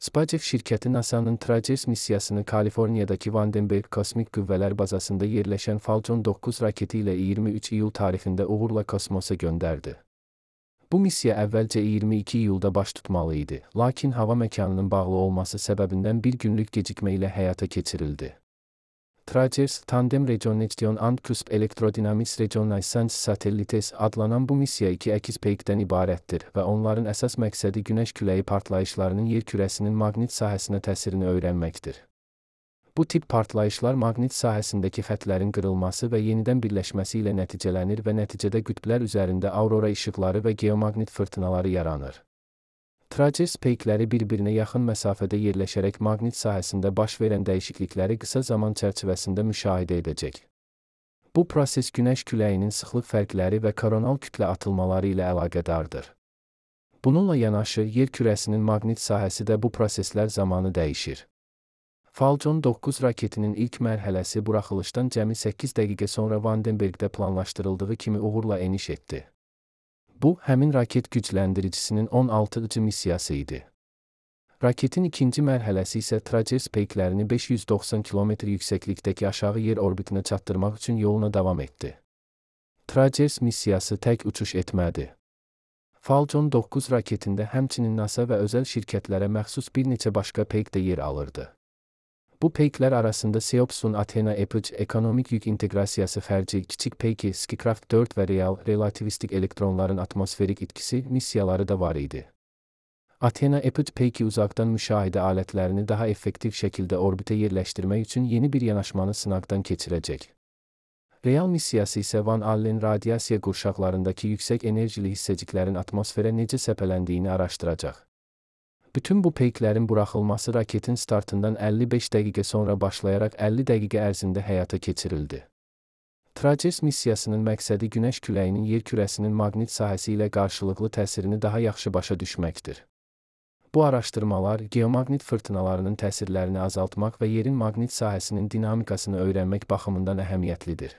SpaceX şirkəti NASA-nın Traces missiyasını Kaliforniyadakı Vandenberg Kosmik Qüvvələr bazasında yerləşən Falcon 9 raketi ilə 23 iyul tarixində uğurla kosmosa göndərdi. Bu missiya əvvəlcə 22 iyulda baş tutmalı idi, lakin hava məkanının bağlı olması səbəbindən bir günlük gecikmə ilə həyata keçirildi. Traces, Tandem Reconnection and Cusp Electrodynamics Reconnaissance Satellites adlanan bu missiya iki əkiz peykdən ibarətdir və onların əsas məqsədi günəş küləyi partlayışlarının yer kürəsinin maqnit sahəsinə təsirini öyrənməkdir. Bu tip partlayışlar maqnit sahəsindəki xətlərin qırılması və yenidən birləşməsi ilə nəticələnir və nəticədə qütblər üzərində aurora işıqları və geomaqnit fırtınaları yaranır. Traces peykləri bir-birinə yaxın məsafədə yerləşərək maqnit sahəsində baş verən dəyişiklikləri qısa zaman çərçivəsində müşahidə edəcək. Bu proses günəş küləyinin sıxlıq fərqləri və koronal kütlə atılmaları ilə əlaqədardır. Bununla yanaşı, yer kürəsinin maqnit sahəsi də bu proseslər zamanı dəyişir. Falcon 9 raketinin ilk mərhələsi buraxılışdan cəmi 8 dəqiqə sonra Vandenbergdə planlaşdırıldığı kimi uğurla eniş etdi. Bu, həmin raket gücləndiricisinin 16-cı missiyası idi. Raketin ikinci mərhələsi isə Traces peyklərini 590 km yüksəklikdəki aşağı yer orbitinə çatdırmaq üçün yoluna davam etdi. Traces missiyası tək uçuş etmədi. Falcon 9 raketində həmçinin NASA və özəl şirkətlərə məxsus bir neçə başqa peyk də yer alırdı. Bu peyklər arasında Seopsun Athena Epage Ekonomik Yük İnteqrasiyası Xərci, Kiçik Peyki, Skikraft 4 və Real relativistik elektronların atmosferik itkisi missiyaları da var idi. Athena Epage peyki uzaqdan müşahidə alətlərini daha effektiv şəkildə orbitə yerləşdirmək üçün yeni bir yanaşmanı sınaqdan keçirəcək. Real missiyası isə Van Allen radiasiya qurşaqlarındakı yüksək enerjili hissəciklərin atmosferə necə səpələndiyini araşdıracaq. Bütün bu peyklərin buraxılması raketin startından 55 dəqiqə sonra başlayaraq 50 dəqiqə ərzində həyata keçirildi. Traces missiyasının məqsədi günəş küləyinin yer kürəsinin maqnit sahəsi ilə qarşılıqlı təsirini daha yaxşı başa düşməkdir. Bu araşdırmalar, geomaqnit fırtınalarının təsirlərini azaltmaq və yerin maqnit sahəsinin dinamikasını öyrənmək baxımından əhəmiyyətlidir.